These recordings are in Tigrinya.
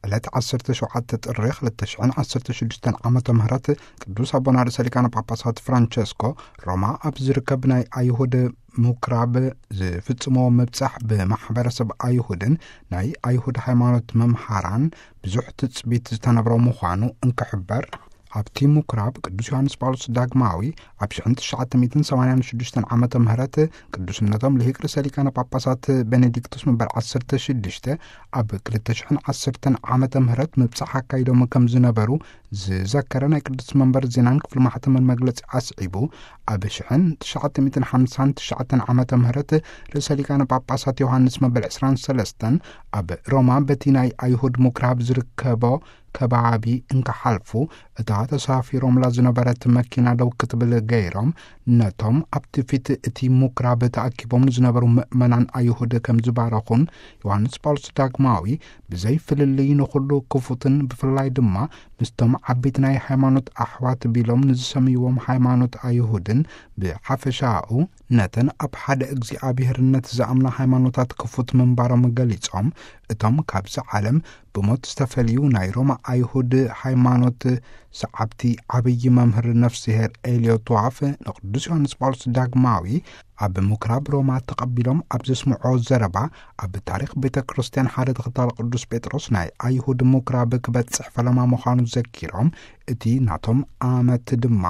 ዕለት ዓሰርተ ሸውዓተ ጥሪ ክልተ ሽሕን ዓሰርተ ሽዱሽተን ዓመተ ምህረት ቅዱስ ኣቦና ርእሰ ሊቃነ ጳጳሳት ፍራንቸስኮ ሮማ ኣብ ዝርከብ ናይ ኣይሁድ ምኩራብ ዝፍጽሞ ምብጻሕ ብማሕበረሰብ ኣይሁድን ናይ ኣይሁድ ሃይማኖት መምሃራን ብዙሕ ትጽቢት ዝተነብሮ ምዃኑ እንክሕበር፣ ኣብቲ ምኩራብ ቅዱስ ዮሃንስ ጳውሎስ ዳግማዊ ኣብ ሽሕን ትሽዓተ ሚእትን ሰማንያን ሽዱሽተን ዓመተ ምህረት ቅዱስነቶም ልሂቅ ርእሰ ሊቃነ ጳጳሳት ቤኔዲክቱስ መበል ዓሰርተ ሽዱሽተ ኣብ ክልተ ሽሕን ዓሰርተን ዓመተ ምህረት ምብጻሕ ኣካይዶም ከም ዝነበሩ ዝዘከረ ናይ ቅዱስ መንበር ዜናን ክፍሊ ማሕተምን መግለጺ ኣስዒቡ፣ ኣብ ሽሕን ትሽዓተ ሚእትን ሓምሳን ትሽዓተን ዓመተ ምህረት ርእሰ ሊቃነ ጳጳሳት ዮሃንስ መበል ዕስራን ሰለስተን ኣብ ሮማ በቲ ናይ ኣይሁድ ምኩራብ ዝርከቦ ከባቢ እንክሓልፉ፣ እታ ተሳፊሮምላ ዝነበረት መኪና ደው ክትብል ገይሮም፣ ነቶም ኣብቲ ፊት እቲ ምኩራብ ተኣኪቦም ንዝነበሩ ምእመናን ኣይሁድ ከም ዝባረኹን፣ ዮሃንስ ጳውሎስ ዳግማዊ ብዘይ ፍልልይ ንኹሉ ክፉትን ብፍላይ ድማ ምስቶም ዓበይቲ ናይ ሃይማኖት ኣሕዋት ቢሎም ንዝሰምይዎም ሃይማኖት ኣይሁድን ብሓፈሻኡ ነተን ኣብ ሓደ እግዚኣብሔርነት ዝኣምና ሃይማኖታት ክፉት ምንባሮም ገሊጾም፣ እቶም ካብዚ ዓለም ብሞት ዝተፈልዩ ናይ ሮማ ኣይሁድ ሃይማኖት ሰዓብቲ ዓብዪ መምህር ነፍስሄር ኤልዮ ቷፍ ንቅዱስ ዮሃንስ ጳውሎስ ዳግማዊ ኣብ ምኩራብ ሮማ ተቐቢሎም ኣብ ዘስምዖ ዘረባ፣ ኣብ ታሪኽ ቤተ ክርስቲያን ሓደ ተኸታሊ ቅዱስ ጴጥሮስ ናይ ኣይሁድ ምኩራብ ክበጽሕ ፈለማ ምዃኑ ዘኪሮም፣ እቲ ናቶም ኣመት ድማ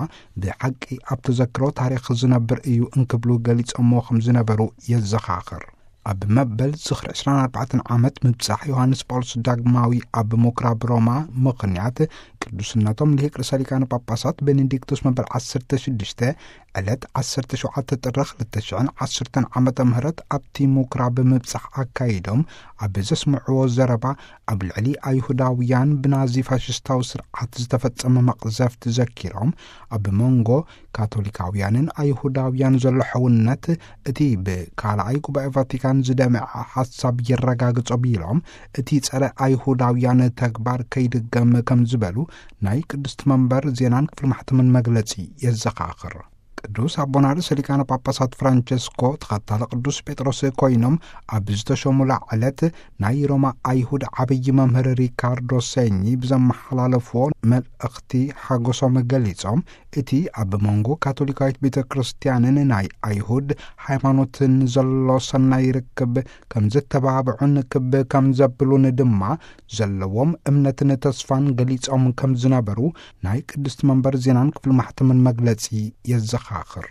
ብሓቂ ኣብ ተዘክሮ ታሪኽ ዝነብር እዩ እንክብሉ ገሊጾሞ ከም ዝነበሩ የዘኻኽር። ኣብ መበል ዝኽሪ ዕስራን ኣርባዕተን ዓመት ምብጻሕ ዮሃንስ ጳውሎስ ዳግማዊ ኣብ ምኩራብ ሮማ ምኽንያት፣ ቅዱስነቶም ልሂቅ ርእሰ ሊቃነ ጳጳሳት ቤኔዲክቶስ መበል ዓሰርተ ሽዱሽተ ዕለት ዓሰርተ ሸውዓተ ጥሪ ክልተ ሽሕን ዓሰርተን ዓመተ ምህረት ኣብቲ ምኩራብ ምብጻሕ ኣካይዶም ኣብ ዘስምዕዎ ዘረባ፣ ኣብ ልዕሊ ኣይሁዳውያን ብናዚ ፋሽስታዊ ስርዓት ዝተፈጸመ መቕዘፍቲ ዘኪሮም፣ ኣብ መንጎ ካቶሊካውያንን ኣይሁዳውያን ዘሎ ሕውነት፣ እቲ ብካልኣይ ጉባኤ ቫቲካን ዝደመዐ ሓሳብ የረጋግጾ ቢሎም፣ እቲ ጸረ ኣይሁዳውያን ተግባር ከይድገም ከም ዝበሉ ናይ ቅድስቲ መንበር ዜናን ክፍሊ ማሕተምን መግለጺ የዘኻኽር። ቅዱስ ኣቦና ርእሰ ሊቃነ ጳጳሳት ፍራንቸስኮ ተኸታሊ ቅዱስ ጴጥሮስ ኮይኖም ኣብ ዝተሾሙላ ዕለት፣ ናይ ሮማ ኣይሁድ ዓብዪ መምህር ሪካርዶ ሴኚ ብዘመሓላለፍዎ መልእኽቲ ሓጎሶም ገሊጾም፣ እቲ ኣብ መንጎ ካቶሊካዊት ቤተ ክርስቲያንን ናይ ኣይሁድ ሃይማኖትን ዘሎ ሰናይ ርክብ ከም ዘተባብዑን ክብ ከም ዘብሉን ድማ ዘለዎም እምነትን ተስፋን ገሊጾም ከም ዝነበሩ ናይ ቅድስቲ መንበር ዜናን ክፍሊ ማሕተምን መግለጺ የዘኻኽር።